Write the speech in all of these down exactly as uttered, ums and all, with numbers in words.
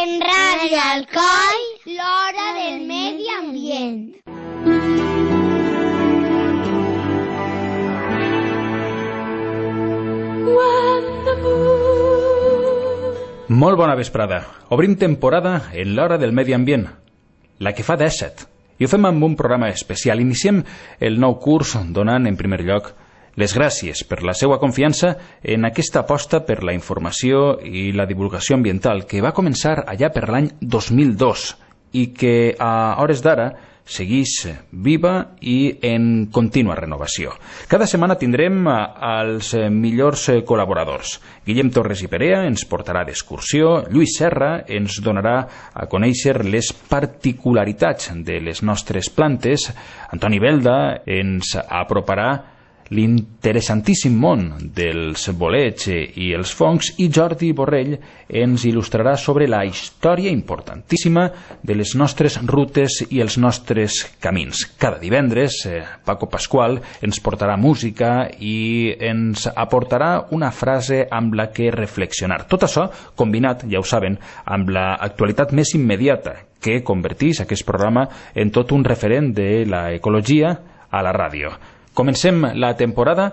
En Radio Alcoi, l'hora del medi ambient. Molt bona vesprada. Obrim temporada en l'hora del medi ambient, la que fa dèsset. I ho fem amb un programa especial. Iniciem el nou curs donant, en primer lloc, les gràcies per la seva confiança en aquesta aposta per la informació i la divulgació ambiental que va començar allà per l'any dos mil dos i que a hores d'ara segueix viva i en contínua renovació. Cada setmana tindrem els millors col·laboradors. Guillem Torres i Perea ens portarà d'excursió, Lluís Serra ens donarà a conèixer les particularitats de les nostres plantes, Antoni Belda ens aproparà l'interessantíssim món dels bolets i els fongs i Jordi Borrell ens il·lustrarà sobre la història importantíssima de les nostres rutes i els nostres camins. Cada divendres, eh, Paco Pasqual ens portarà música i ens aportarà una frase amb la que reflexionar. Tot això combinat, ja ho saben, amb l'actualitat més immediata que converteix aquest programa en tot un referent de l'ecologia a la ràdio. Comencem la temporada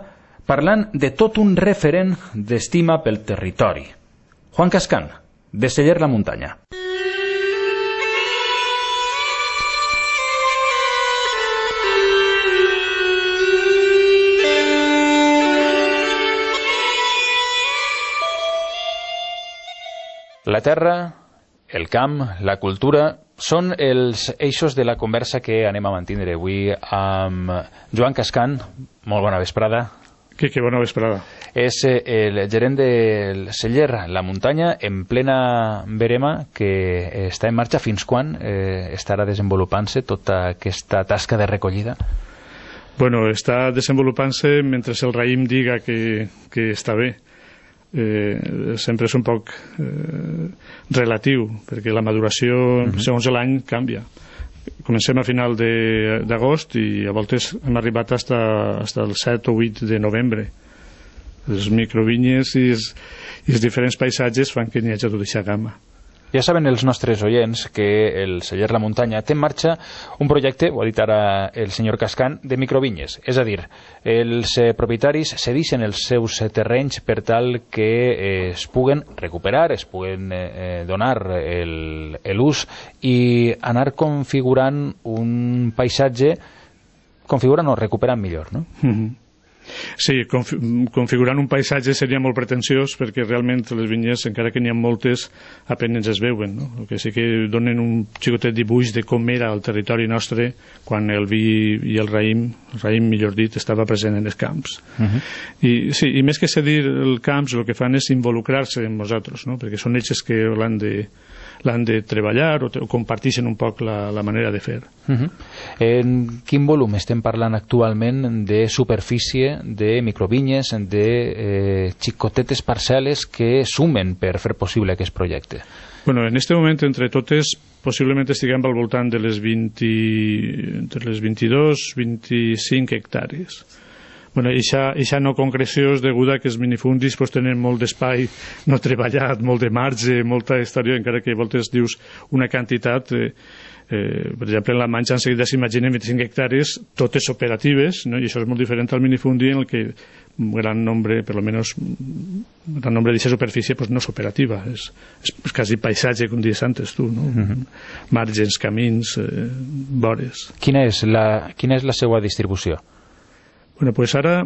parlant de tot un referent d'estima pel territori. Juan Cascán, de Celler la Muntanya. La terra, el camp, la cultura són els eixos de la conversa que anem a mantindre avui amb Joan Cascán. Molt bona vesprada. Que, que bona vesprada. És el gerent del Celler la Muntanya en plena verema que està en marxa. Fins quan eh, estarà desenvolupant-se tota aquesta tasca de recollida? Bueno, està desenvolupant-se mentre el raïm diga que, que està bé. Eh, sempre és un poc eh, relatiu, perquè la maduració, uh-huh. segons l'any, canvia. Comencem a final d'agost i a voltes hem arribat fins al set o vuit de novembre. Les microvinyes i els, i els diferents paisatges fan que n'hi hagi tota aquesta gamma. Ja saben els nostres oients que el Celler la Muntanya té en marxa un projecte, ho ha dit ara el senyor Cascán, de microvinyes. És a dir, els propietaris cedeixen els seus terrenys per tal que es puguen recuperar, es puguen eh, donar l'ús i anar configurant un paisatge, configurant o recuperant millor, no? Mm-hmm. Sí, configurant un paisatge seria molt pretensiós perquè realment les vinyes, encara que n'hi ha moltes, apenas es veuen, no? El que sí que donen un xicotet dibuix de com era el territori nostre quan el vi i el raïm, el raïm millor dit, estava present en els camps. Uh-huh. I, sí, i més que cedir els camps, el que fan és involucrar-se en nosaltres, no? Perquè són ells que l'han de l'han de treballar o, o comparteixen un poc la, la manera de fer. Uh-huh. En quin volum estem parlant actualment de superfície, de microvinyes, de eh, xicotetes parcel·les que sumen per fer possible aquest projecte? Bueno, en este moment, entre totes, possiblement estiguem al voltant de les vint, entre les vint-i-dos i vint-i-cinc hectàrees. Bueno, eixa no concreció és deguda que els minifundis pues, tenen molt d'espai no treballat, molt de marge, molta història, encara que a voltes dius una quantitat. Eh, eh, per exemple, en la Manxa en seguida s'imaginen vint-i-cinc hectàrees, totes operatives, no? I això és molt diferent al minifundi en el que un gran nombre, per almenys un gran nombre d'aquesta superfície pues, no és operativa, és, és, és quasi paisatge, com dius antes tu, no? Uh-huh. Marges, camins, eh, vores. Quina és la, quina és la seva distribució? Bueno, pues ara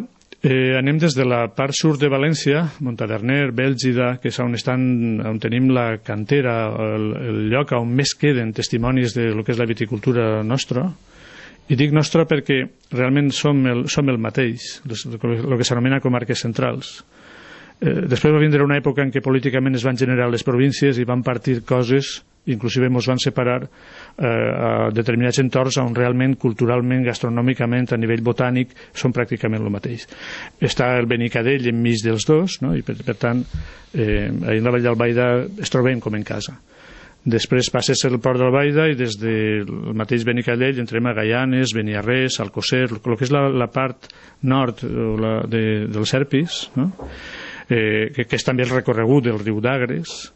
eh, anem des de la part sud de València, Montaverner, Bèlgida, que és on, estan, on tenim la cantera, el, el lloc on més queden testimonis de lo que és la viticultura nostra. I dic nostra perquè realment som el, som el mateix, el que s'anomena comarques centrals. Eh, després va vindre una època en què políticament es van generar les províncies i van partir coses, inclusive ens van separar eh, a determinats entorns on realment, culturalment, gastronòmicament, a nivell botànic, són pràcticament el mateix. Està el Benicadell enmig dels dos, no? I per, per tant, eh, a la Vall d'Albaida es trobem com en casa. Després passes el Port d'Albaida i des del mateix Benicadell entrem a Gaianes, Beniarrés, Alcocer, el que és la, la part nord la, de, del Serpis, no? eh, que, que és també el recorregut del riu d'Agres,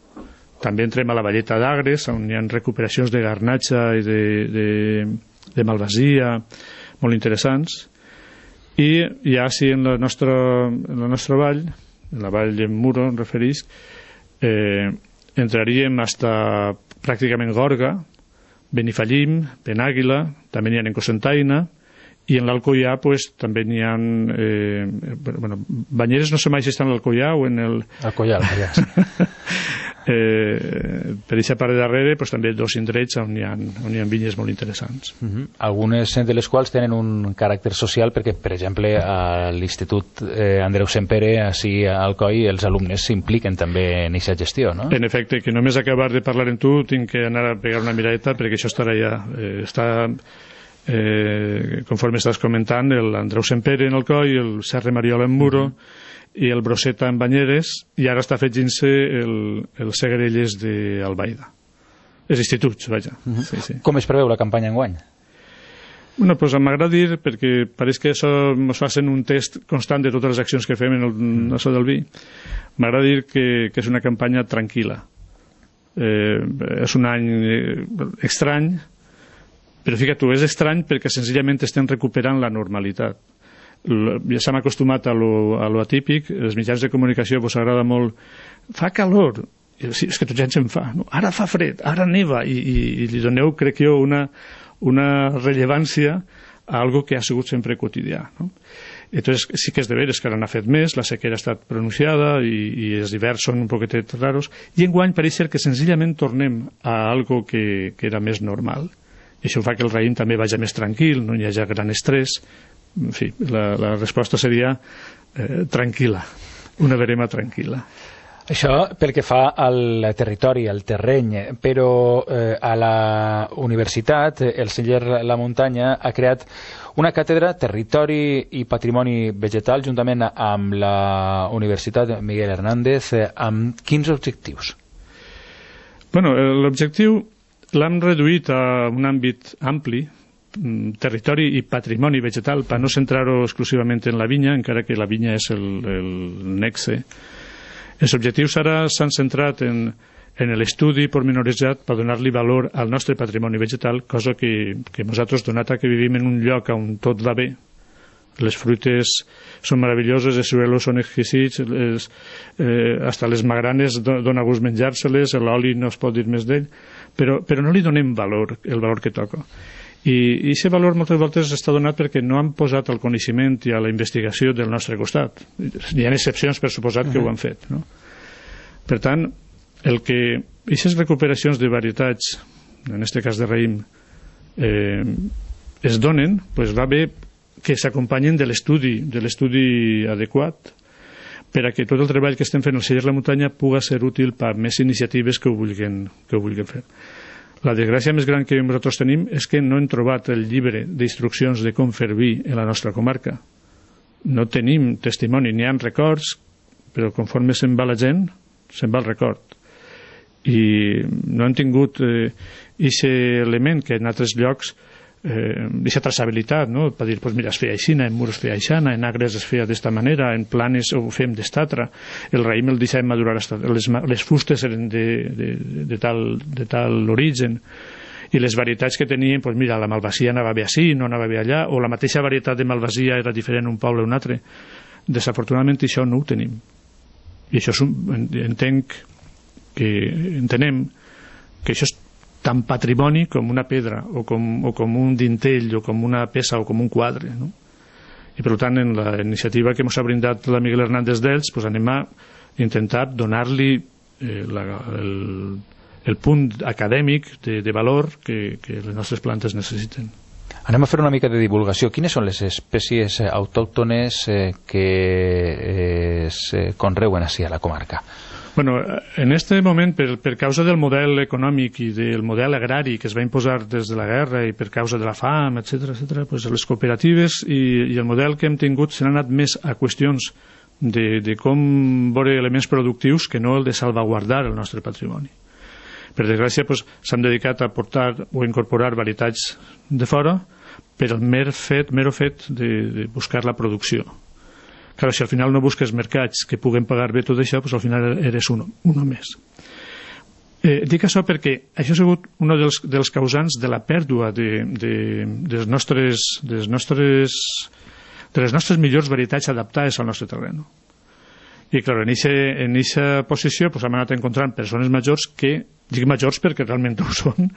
També entrem a la Valleta d'Agres, on hi ha recuperacions de garnatxa i de, de, de malvasia molt interessants. I ja sí, en la nostra, en la nostra vall, en la vall de Muro, em referís, eh, entraríem fins pràcticament Gorga, Benifallim, Penàguila, també n'hi ha en Cocentaina, i en l'Alcoià pues, també n'hi ha... Eh, bueno, Banyeres no sé mai si està en l'Alcoià o en el... Alcoià, Alcoià, sí. eh, per aquesta part de darrere pues, també dos indrets on hi ha, on hi ha vinyes molt interessants. Uh-huh. Algunes de les quals tenen un caràcter social perquè, per exemple, a l'Institut eh, Andreu Sempere, així a Alcoi, els alumnes s'impliquen també en aquesta gestió, no? En efecte, que només acabar de parlar amb tu tinc que anar a pegar una miradeta perquè això estarà ja... Eh, està... Eh, conforme estàs comentant, l'Andreu Sempere en Alcoi, el Serra Mariola en Muro, uh-huh. i el Brosseta en Banyeres, i ara està fent-se el, el Segrelles d'Albaida. Els instituts, vaja. Uh-huh. Sí, sí. Com es preveu la campanya enguany? Bueno, pues m'agrada dir, perquè pareix que això ens facin un test constant de totes les accions que fem en el uh-huh. això del vi. M'agrada dir que, que és una campanya tranquil·la. Eh, és un any estrany, però fíjate, és estrany perquè senzillament estem recuperant la normalitat. Ja s'hem acostumat a lo, a lo atípic, els mitjans de comunicació pues, agrada molt, fa calor, sí, és que tot ja ens en fa, no? Ara fa fred, ara neva, i, i, i li doneu, crec jo, una, una rellevància a algo que ha sigut sempre quotidià, no? Entonces sí que és de veres que ara n'ha fet més, la sequera ha estat pronunciada i, i els hiverns són un poquetet raros, i enguany pareix ser que senzillament tornem a algo que, que era més normal. I això fa que el raïm també vagi més tranquil, no hi hagi gran estrès. En fi, la, la resposta seria eh, tranquil·la, una verema tranquil·la. Això pel que fa al territori, al terreny, però eh, a la universitat, el celler La Muntanya ha creat una càtedra Territori i Patrimoni Vegetal juntament amb la Universitat Miguel Hernández, eh, amb quins objectius? Bueno, l'objectiu l'hem reduït a un àmbit ampli, territori i patrimoni vegetal, per no centrar-ho exclusivament en la vinya, encara que la vinya és el, el nexe. Els objectius ara s'han centrat en, en l'estudi pormenoritzat per donar-li valor al nostre patrimoni vegetal, cosa que, que nosaltres, donat que vivim en un lloc on tot va bé, les fruites són meravelloses, els suelos són exquisits, les, eh, hasta les magranes dona gust menjar-se-les, l'oli no es pot dir més d'ell, però, però no li donem valor, el valor que toca. I aquest valor moltes voltes està donat perquè no han posat el coneixement i a la investigació del nostre costat. Hi ha excepcions, per suposat, que ho han fet, no? Per tant, el que aquestes recuperacions de varietats, en aquest cas de raïm, eh, es donen, pues va bé que s'acompanyen de l'estudi, de l'estudi adequat, per a que tot el treball que estem fent al celler La Muntanya puga ser útil per a més iniciatives que ho vulguin, que ho vulguin fer. La desgràcia més gran que nosaltres tenim és que no hem trobat el llibre d'instruccions de com fer vi en la nostra comarca. No tenim testimoni, n'hi ha records, però conforme se'n va la gent, se'n va el record. I no hem tingut aquest eh, element que en altres llocs aquesta eh, traçabilitat, no? Per dir, pues mira, es feia aixina, en Mur es feia aixana, en Agres es feia d'esta manera, en Planes ho fem d'estatra, el raïm el deixàvem madurar, hasta, les, les fustes eren de, de, de, tal, de tal origen, i les varietats que tenien, pues mira, la malvasia anava bé així, no anava bé allà, o la mateixa varietat de malvasia era diferent un poble o un altre. Desafortunadament això no ho tenim. I això és un, entenc que entenem que això és tan patrimoni com una pedra o com, o com un dintell o com una peça o com un quadre, no? I per tant en la iniciativa que ens ha brindat la Miguel Hernández d'Elx pues anem a intentar donar-li eh, la, el, el punt acadèmic de, de valor que, que les nostres plantes necessiten. Anem a fer una mica de divulgació. Quines són les espècies autòctones eh, que eh, es conreuen així a la comarca? Bueno, en este moment, per, per causa del model econòmic i del model agrari que es va imposar des de la guerra i per causa de la fam, etcètera, etcètera, pues les cooperatives i, i el model que hem tingut s'han anat més a qüestions de, de com veure elements productius que no el de salvaguardar el nostre patrimoni. Per desgràcia, pues, s'han dedicat a portar o incorporar varietats de fora per el mer fet, mero fet de, de buscar la producció. Clar, si al final no busques mercats que puguen pagar bé tot això, doncs al final eres uno, uno més. Eh, dic això perquè això ha sigut un dels, dels causants de la pèrdua de, de, dels nostres, dels nostres, de les nostres millors varietats adaptades al nostre terreny. I, clar, en aquesta posició pues, hem anat encontrant persones majors que, dic majors perquè realment ho són,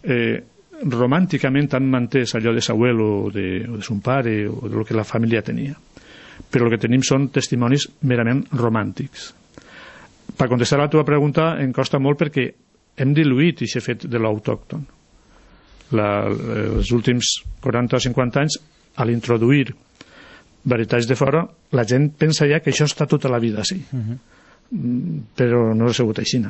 eh, romànticament han mantès allò de s'abuelo o de, o de son pare o del que la família tenia. Però el que tenim són testimonis merament romàntics. Per contestar a la teva pregunta em costa molt perquè hem diluït aquest fet de l'autòcton. Els últims quaranta o cinquanta anys, a l'introduir varietats de fora, la gent pensa ja que això està tota la vida així. Uh-huh. Però no ha sigut així.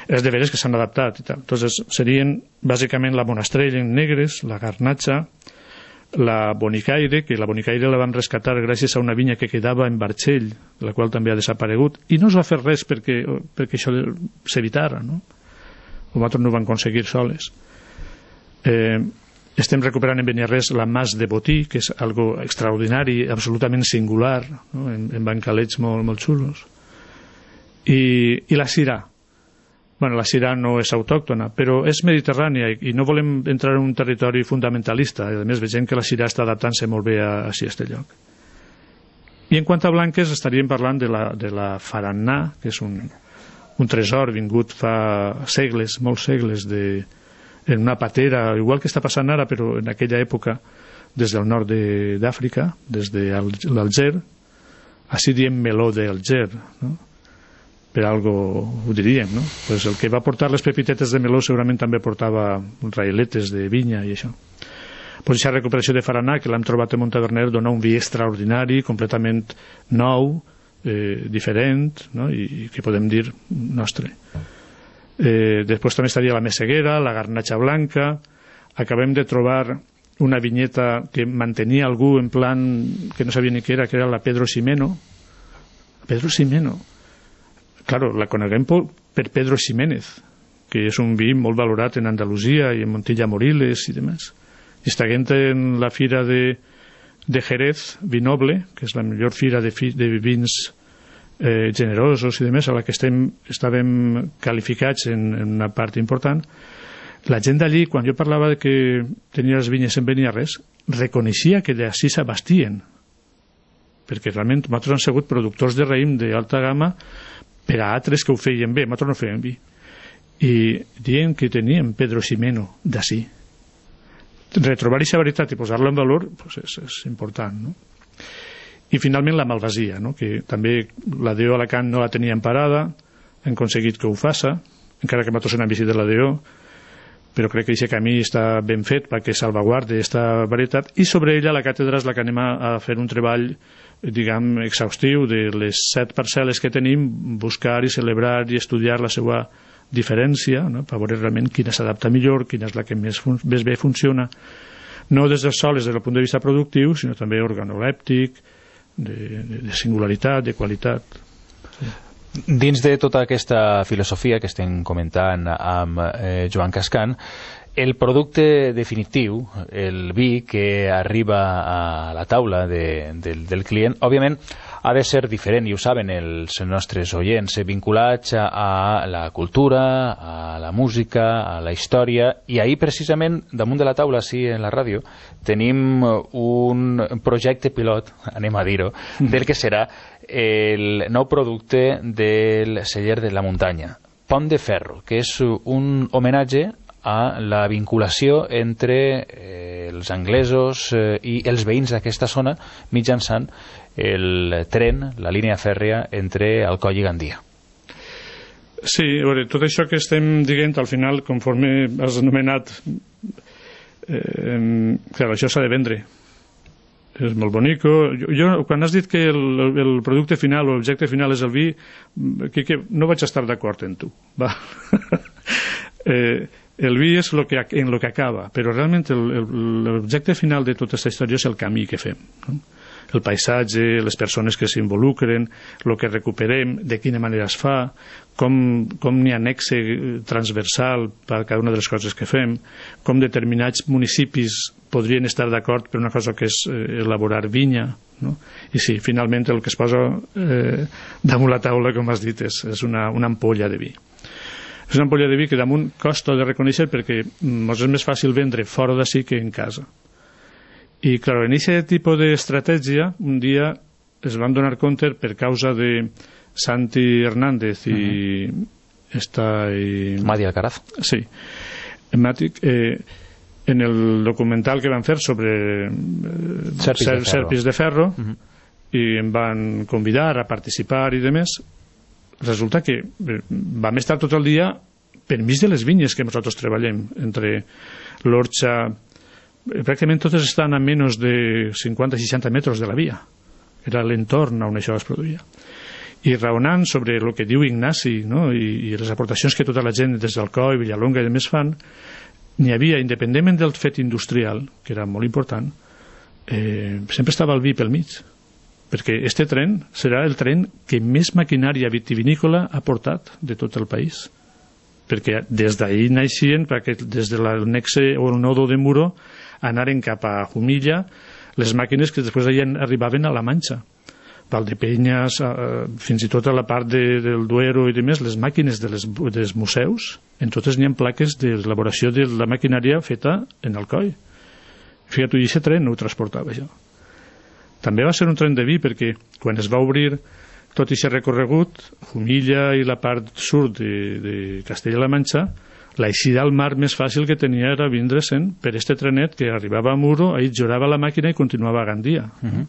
Els de veres que s'han adaptat i tal. Entonces, serien bàsicament la monastrell en negres, la garnatxa, la bonicaire, que la bonicaire la vam rescatar gràcies a una vinya que quedava en Barxell, la qual també ha desaparegut, i no es va fer res perquè, perquè això s'evitara, no? Nosaltres no ho vam aconseguir soles. Eh, estem recuperant en Beniarrés la Mas de Botí, que és algo extraordinari, absolutament singular, no? en, en bancalets molt, molt xulos. I, i la Syrah. Bueno, la Syrah no és autòctona, però és mediterrània i no volem entrar en un territori fundamentalista. A més, veiem que la Syrah està adaptant-se molt bé a, a aquest lloc. I en quant a blanques, estaríem parlant de la, de la Faranà, que és un, un tresor vingut fa segles, molts segles, de, en una patera, igual que està passant ara, però en aquella època, des del nord d'Àfrica, des de l'Alger, així diem meló d'Alger, no? Per algo ho diríem, no? Pues el que va portar les pepitetes de meló segurament també portava raïletes de vinya i això. Pues aquesta recuperació de Faranà, que l'hem trobat a Montaverner, dona un vi extraordinari, completament nou, eh, diferent, no? I, i que podem dir nostre. Eh, després també estaria la Messeguera, la Garnatxa Blanca. Acabem de trobar una vinyeta que mantenia algú en plan que no sabia ni què era, que era la Pedro Ximeno. Pedro Ximeno. Claro, la coneguem per Pedro Ximénez, que és un vi molt valorat en Andalusia i en Montilla Moriles i demás. I estaguent en la fira de, de Jerez, Vinoble, que és la millor fira de, fi, de vins eh, generosos i demás, a la que estem, estàvem qualificats en, en una part important, la gent d'allí, quan jo parlava de que tenia les vinyes en Beniarrés, reconeixia que d'ací s'abastien, perquè realment nosaltres hem sigut productors de raïm d'alta gamma per a altres que ho feien bé, nosaltres no fèiem vi. I dient que teníem Pedro Ximeno d'ací. Retrobar aquesta veritat i posar-la en valor pues és, és important, no? I finalment la Malvasia, no? Que també la D O Alacant no la teníem parada, hem aconseguit que ho faça, encara que nosaltres hem visitat la D O, però crec que aquest camí està ben fet perquè salvaguarde aquesta varietat, i sobre ella la càtedra és la que anem a fer un treball, diguem, exhaustiu de les set parcel·les que tenim, buscar i celebrar i estudiar la seva diferència, no? Per veure realment quina s'adapta millor, quina és la que més, fun més bé funciona, no des dels sols des del punt de vista productiu, sinó també organolèptic, de, de, de singularitat, de qualitat. Sí. Dins de tota aquesta filosofia que estem comentant amb eh, Joan Cascan, el producte definitiu, el vi que arriba a la taula de, de, del client, òbviament ha de ser diferent, i ho saben els nostres oients, vinculats a la cultura, a la música, a la història, i ahir precisament damunt de la taula, sí, en la ràdio, tenim un projecte pilot, anem a dir-ho, del que serà el nou producte del celler de la muntanya, Pont de Ferro, que és un homenatge a la vinculació entre eh, els anglesos eh, i els veïns d'aquesta zona mitjançant el tren, la línia fèrrea entre Alcoi i Gandia. Sí, a veure, tot això que estem dient al final, conforme has anomenat, eh, clar, això s'ha de vendre. És molt bonic. Jo, jo, quan has dit que el, el producte final o l'objecte final és el vi, que, que no vaig estar d'acord en tu. Va. eh, el vi és lo que, en lo que acaba, però realment l'objecte final de tota aquesta història és el camí que fem, no? El paisatge, les persones que s'involucren, el que recuperem, de quina manera es fa, com, com n'hi ha nexe transversal per cada una de les coses que fem, com determinats municipis podrien estar d'acord per una cosa que és eh, elaborar vinya, no? I sí, finalment el que es posa eh, damunt la taula, com has dit, és, és una, una ampolla de vi. És una ampolla de vi que damunt costa de reconèixer perquè ens és més fàcil vendre fora d'ací que en casa. I, clar, en aquest tipus d'estratègia, un dia es van donar compte per causa de Santi Hernández i uh-huh. esta i... Madi Alcaraz. Sí. Mati, eh, en el documental que van fer sobre eh, Serpis, ser, de Serpis de Ferro uh-huh. i em van convidar a participar i demés, resulta que eh, vam estar tot el dia per mig de les vinyes que nosaltres treballem, entre l'Orxa, eh, pràcticament totes estan a menys de cinquanta a seixanta metres de la via. Era l'entorn on això es produïa. I raonant sobre el que diu Ignasi, no? I, i les aportacions que tota la gent des d'Alcoi, Villalonga i demés fan, n'hi havia, independentment del fet industrial, que era molt important, eh, sempre estava el vi pel mig, perquè este tren serà el tren que més maquinària vitivinícola ha portat de tot el país, perquè des d'ahir naixien, perquè des de la nexe o el nodo de Muro anaren cap a Jumilla les màquines que després arribaven a la Manxa, Valdepenyes, eh, fins i tot a la part de, del Duero i demés, les màquines de les, dels museus, en totes n'hi ha plaques d'elaboració de la maquinària feta en Alcoi. Fíjate, i aquest tren ho transportava això. També va ser un tren de vi perquè quan es va obrir tot aquest recorregut, Jumilla i la part sud de, de Castella-La Manxa, l'eixida al mar més fàcil que tenia era vindre-se'n per este trenet que arribava a Muro, ahir jorava la màquina i continuava a Gandia. Uh-huh.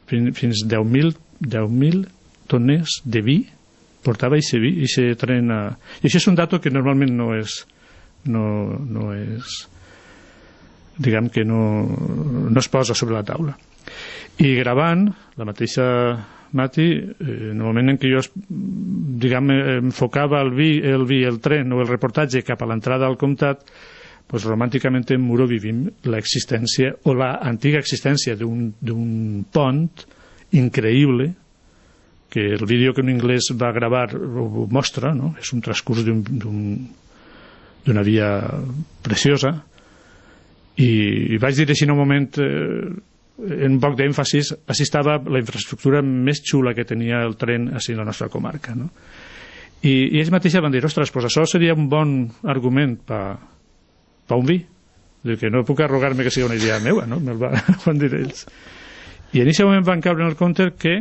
Fins, fins deu mil tones de vi portava aquest vi, aquest tren a... I això és un dato que normalment no és no, no és diguem que no, no es posa sobre la taula. I gravant la mateixa Mati, eh, en el moment en què jo diguem, enfocava el vi, el vi, el tren o el reportatge cap a l'entrada al comtat, pues romànticament en Muro vivim l'existència o la antiga existència d'un pont increïble que el vídeo que un anglès va gravar ho mostra, no? És un transcurs d'una via preciosa i, i vaig dir així en un moment eh, en un poc d'èmfasis, així estava la infraestructura més xula que tenia el tren així en la nostra comarca, no? I, i ells mateixos van dir, ostres, pues això seria un bon argument per pa un vi, de que no puc arrogar-me que sigui una idea meua, no? Me'l van dir ells. I en aquest moment van caure en el compte que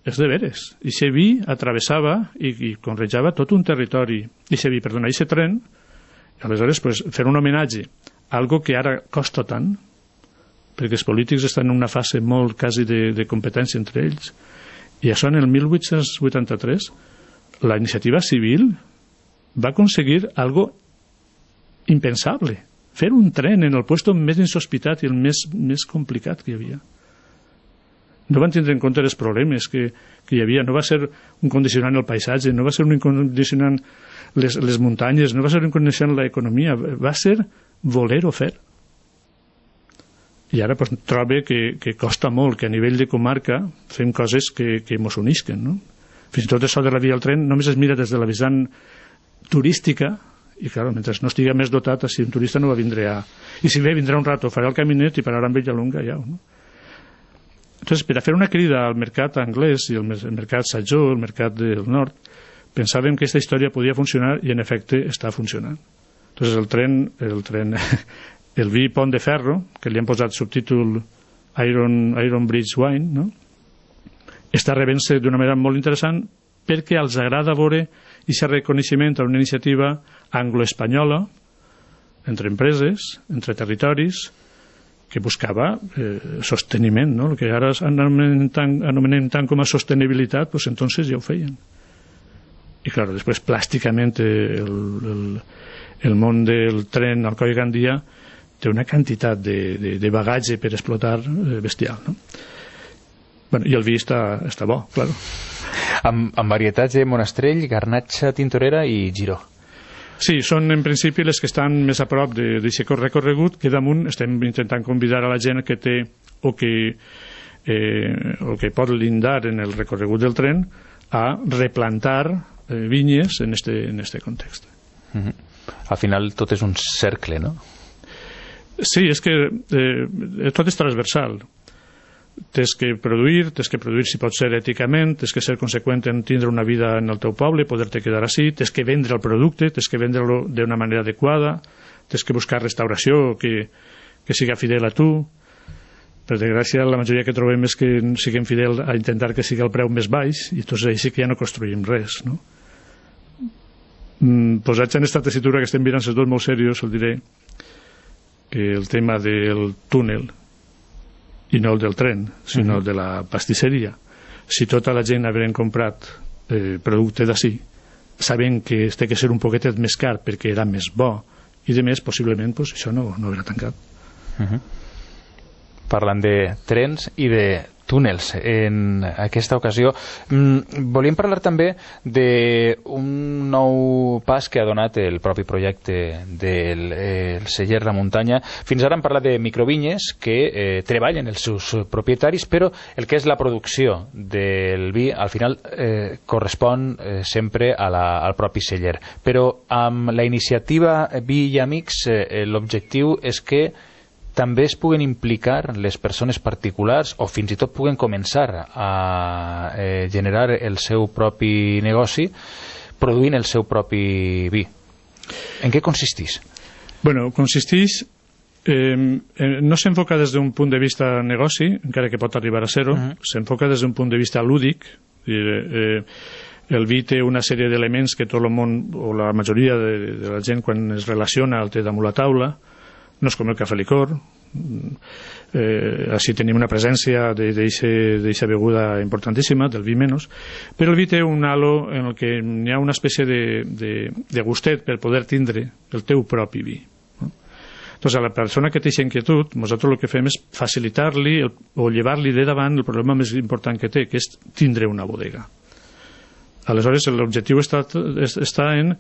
és de veres. I aquest vi atravessava i, i conrejava tot un territori. I aquest vi, perdona, i aquest tren, i aleshores pues, fer un homenatge a algo que ara costa tant, perquè els polítics estan en una fase molt quasi de, de competència entre ells. I això en el mil vuit-cents vuitanta-tres la iniciativa civil va aconseguir algo impensable, fer un tren en el puesto més insospitat i el més, més complicat que hi havia. No van tindre en compte els problemes que, que hi havia, no va ser un condicionant el paisatge, no va ser un condicionant les, les muntanyes, no va ser un condicionant l'economia, va ser voler-ho fer. I ara pues, trobo que, que costa molt que a nivell de comarca fem coses que, que mos unisquen, no? Fins i tot això de la via al tren només es mira des de la vessant turística i, clar, mentre no estigui més dotat, si un turista no va vindre a... I si ve, vindrà un rato, farà el caminet i pararà amb Villalonga ja, no? Entonces, per a fer una crida al mercat anglès i el mercat sajó, el mercat del nord, pensàvem que aquesta història podia funcionar i, en efecte, està funcionant. Entonces, el tren, el tren, el vi Pont de Ferro, que li han posat subtítol Iron, Iron Bridge Wine, no? Està rebent-se d'una manera molt interessant perquè els agrada veure aquest reconeixement a una iniciativa anglo-espanyola entre empreses, entre territoris, que buscava eh, sosteniment, no? El que ara anomenem tant, anomenem tant com a sostenibilitat, pues entonces ja ho feien. I clar, després plàsticament el, el, el món del tren Alcoi-Gandia té una quantitat de, de, de bagatge per explotar eh, bestial, no? Bueno, i el vi està, està bo, claro. Amb, amb varietats de Monastrell, Garnatxa, Tintorera i Giró. Sí, són en principi les que estan més a prop d'aquest recorregut, que damunt estem intentant convidar a la gent que té o que, eh, o que pot lindar en el recorregut del tren a replantar eh, vinyes en este, en este context. Uh-huh. Al final tot és un cercle, no? Sí, és que eh, tot és transversal. tens que produir, tens que produir si pot ser èticament, tens que ser conseqüent en tindre una vida en el teu poble, poder-te quedar així, tens que vendre el producte, tens que vendre-lo d'una manera adequada, tens que buscar restauració que, que siga fidel a tu. Per desgràcia, la majoria que trobem és que siguem fidel a intentar que sigui el preu més baix, i doncs així que ja no construïm res, no? Mm, posats en aquesta tessitura que estem mirant els dos molt serios, el diré que el tema del túnel i no el del tren, sinó el de la pastisseria, si tota la gent hagueren comprat eh, producte d'ací, sabent que es té que ser un poquetet més car perquè era més bo, i de més, possiblement, pues, això no, no haurà tancat. Uh-huh. Parlant de trens i de túnels en aquesta ocasió. Mm, volíem parlar també d'un nou pas que ha donat el propi projecte del eh, celler La Muntanya. Fins ara hem parlat de microvinyes que eh, treballen els seus propietaris, però el que és la producció del vi al final eh, correspon eh, sempre a la, al propi celler. Però amb la iniciativa Vi i Amics eh, l'objectiu és que també es puguen implicar les persones particulars o fins i tot puguen començar a eh, generar el seu propi negoci produint el seu propi vi. En què consisteix? Bueno, consisteix eh, no s'enfoca des d'un punt de vista negoci, encara que pot arribar a ser-ho, uh-huh. S'enfoca des d'un punt de vista lúdic. Eh, el vi té una sèrie d'elements que tot el món, o la majoria de, de la gent quan es relaciona el té damunt la taula. No és com el cafè licor, eh, així tenim una presència d'aquesta beguda importantíssima, del vi menys, però el vi té un halo en el que hi ha una espècie de, de, de gustet per poder tindre el teu propi vi. No? Doncs a la persona que té aquesta inquietud, nosaltres el que fem és facilitar-li o llevar-li de davant el problema més important que té, que és tindre una bodega. Aleshores, l'objectiu està, està en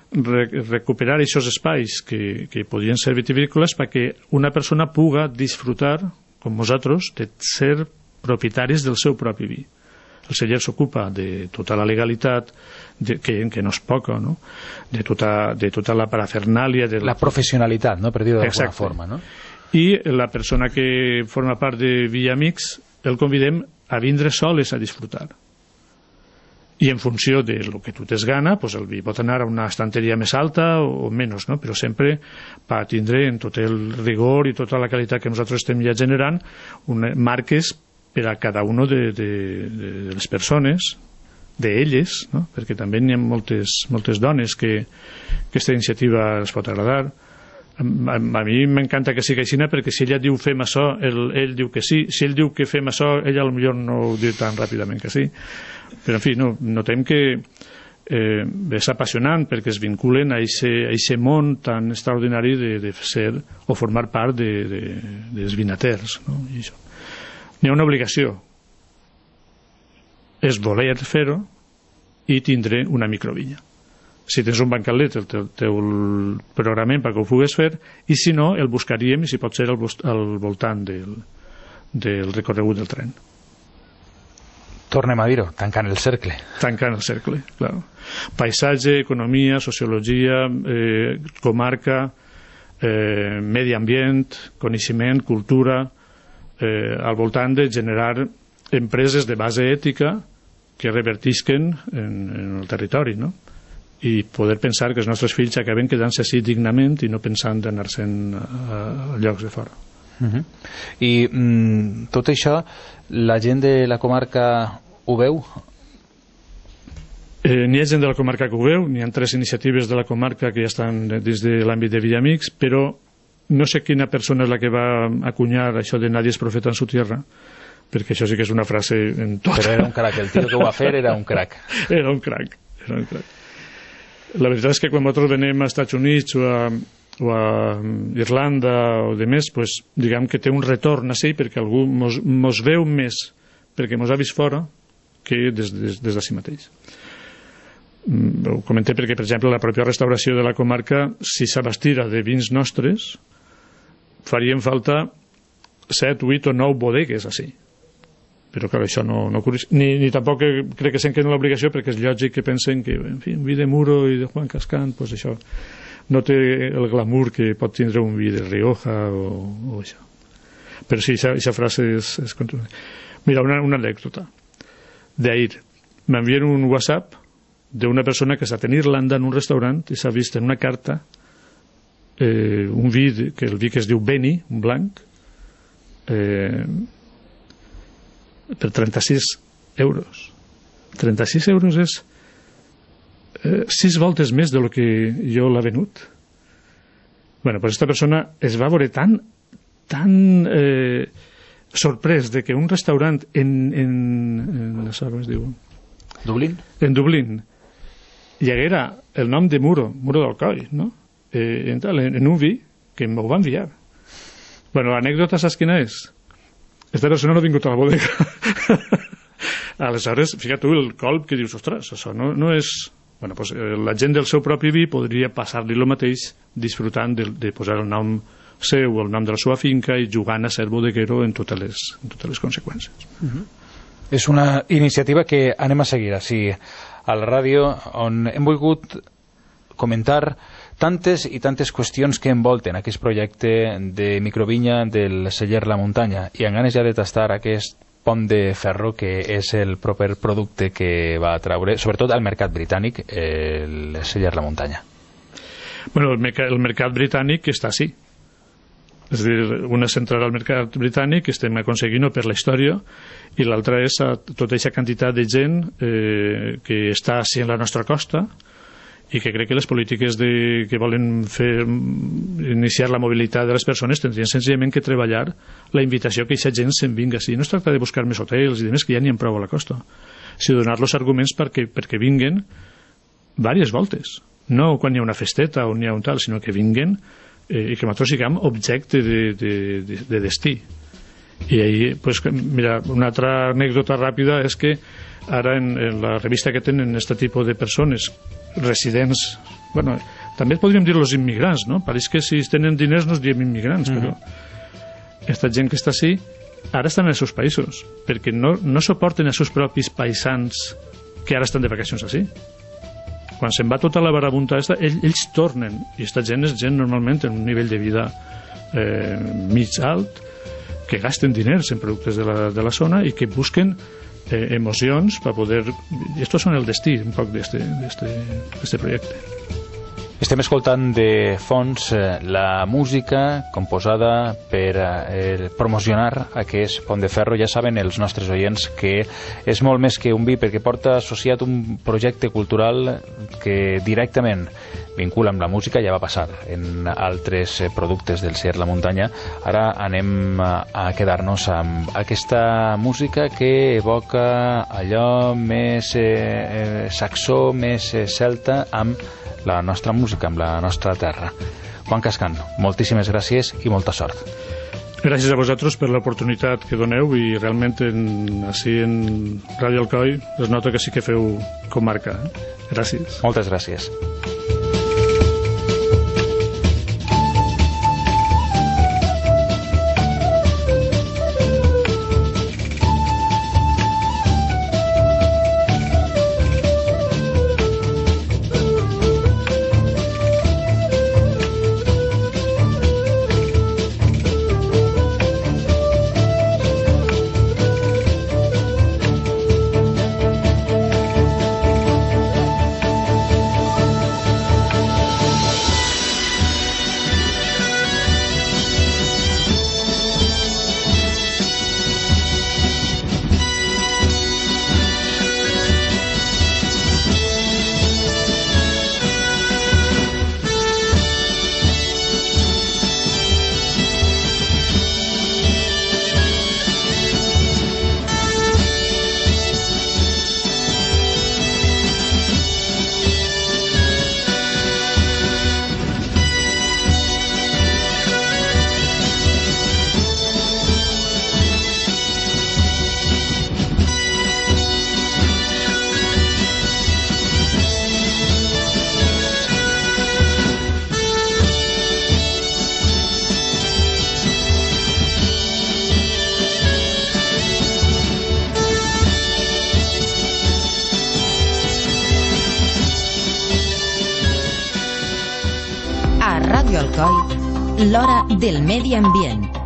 recuperar aquests espais que, que podien ser vitivinícoles perquè una persona puga disfrutar, com nosaltres, de ser propietaris del seu propi vi. El celler s'ocupa de tota la legalitat, de, que, que no és poca, no? De, tota, de tota la parafernàlia... De la professionalitat, no? Per dir-ho d'alguna forma, no? I la persona que forma part de Vi i Amics el convidem a vindre soles a disfrutar. I en funció de lo que tu tens gana, pues el vi pot anar a una estanteria més alta o menys, no? Però sempre va tindre en tot el rigor i tota la qualitat que nosaltres estem ja generant una, marques per a cada una de, de, de les persones, d'elles, no? Perquè també hi ha moltes, moltes dones que aquesta iniciativa els pot agradar. A, a, a mi m'encanta que sigui així perquè si ella diu fem això, ell, ell diu que sí. Si ell diu que fem això, ella potser no ho diu tan ràpidament que sí. Però en fi, no, notem que eh, és apassionant perquè es vinculen a aquest món tan extraordinari de, de ser o formar part de, de, dels vinaters, no? I això. N'hi ha una obligació, és voler fer-ho i tindre una microvinya. Si tens un bancalet el teu, teu programem perquè ho pugues fer, i si no el buscaríem i si pot ser al, al voltant del, del recorregut del tren. Tornem a dir-ho, tancant el cercle. Tancant el cercle, clar. Paisatge, economia, sociologia, eh, comarca, eh, medi ambient, coneixement, cultura, eh, al voltant de generar empreses de base ètica que revertisquen en, en el territori, no? I poder pensar que els nostres fills acaben quedant-se així dignament i no pensant d'anar-se'n a, a llocs de fora. Uh-huh. I mm, tot això la gent de la comarca ho veu? Eh, n'hi ha gent de la comarca que ho veu, n'hi ha tres iniciatives de la comarca que ja estan dins de l'àmbit de Vi i Amics, però no sé quina persona és la que va acunyar això de nadie es profeta en su tierra, perquè això sí que és una frase en tot. Però era un crac, el tio que ho va fer era un crac. Era un crac, era un crac. La veritat és que quan nosaltres venim als Estats Units o a o a Irlanda o de més, pues, diguem que té un retorn així perquè algú mos, mos veu més perquè mos ha vist fora que des, des, des d'ací mateix. Mm, ho comenté perquè, per exemple, la pròpia restauració de la comarca, si s'abastira de vins nostres, farien falta set, vuit o nou bodegues així. Però clar, això no, no ni, ni tampoc crec que s'enquen l'obligació perquè és lògic que pensen que, en fi, un vi de Muro i de Juan Cascán, pues això no té el glamour que pot tindre un vi de Rioja o, o això. Però sí, esa frase és, és contundent. Mira, una, una anècdota d'ahir. M'envien un WhatsApp d'una persona que està en Irlanda en un restaurant i s'ha vist en una carta eh, un vi que el vi que es diu Benny, un blanc, eh, per trenta-sis euros. trenta-sis euros és eh, sis voltes més de lo que jo l'ha venut. Bueno, pues esta persona es va veure tan tan eh, sorprès de que un restaurant en, en, en com es diu? Dublín? En Dublín hi haguera el nom de Muro, Muro d'Alcoi, no? Eh, en, tal, en, en un vi que m'ho va enviar. Bueno, l'anècdota saps quina és? Esta persona no ha vingut a la bodega. Aleshores, fíjate tu el colp que dius, ostres, això no, no és... Bueno, pues, eh, la gent del seu propi vi podria passar-li el mateix disfrutant de, de posar el nom seu o el nom de la seva finca i jugant a ser bodeguero en totes les, en totes les conseqüències. Uh-huh. És una iniciativa que anem a seguir així a la ràdio, on hem volgut comentar tantes i tantes qüestions que envolten aquest projecte de microvinya del celler La Muntanya, i amb ganes ja de tastar aquest pont de ferro que és el proper producte que va traure, sobretot al mercat britànic, el celler La Muntanya. Bueno, el, mercat, el mercat britànic està així. És a dir, una central al mercat britànic que estem aconseguint per la història, i l'altra és a tota aquesta quantitat de gent eh, que està així en la nostra costa i que crec que les polítiques de, que volen fer iniciar la mobilitat de les persones tindrien senzillament que treballar la invitació que aquesta gent se'n vinga així. No es tracta de buscar més hotels i demés, que ja n'hi ha prou a la costa, sinó donar-los arguments perquè, perquè vinguen diverses voltes, no quan hi ha una festeta o n'hi ha un tal, sinó que vinguen eh, i que nosaltres siguem objecte de, de, de, de destí. I ahí, pues, mira, una altra anècdota ràpida és que ara en, en la revista que tenen aquest tipus de persones residents, bueno, també podríem dir els immigrants, no? Pareix que si tenen diners no es diem immigrants, mm-hmm. però aquesta gent que està així ara estan en els seus països perquè no, no suporten els seus propis paisans que ara estan de vacacions així. Quan se'n va tota la barabunta esta, ells, ells tornen, i aquesta gent és gent normalment en un nivell de vida eh, mig alt, que gasten diners en productes de la, de la zona i que busquen eh, emocions per poder... I estos són el destí un poc d'este projecte. Estem escoltant de fons eh, la música composada per eh, promocionar aquest pont de ferro. Ja saben els nostres oients que és molt més que un vi, perquè porta associat un projecte cultural que directament vincula amb la música. Ja va passar en altres eh, productes del celler La Muntanya. Ara anem a, a quedar-nos amb aquesta música que evoca allò més eh, eh, saxó, més eh, celta, amb la nostra música, amb la nostra terra. Juan Cascan, moltíssimes gràcies i molta sort. Gràcies a vosaltres per l'oportunitat que doneu, i realment en, així en Ràdio Alcoi es nota que sí que feu comarca. Gràcies. Moltes gràcies. L'hora del medi ambient.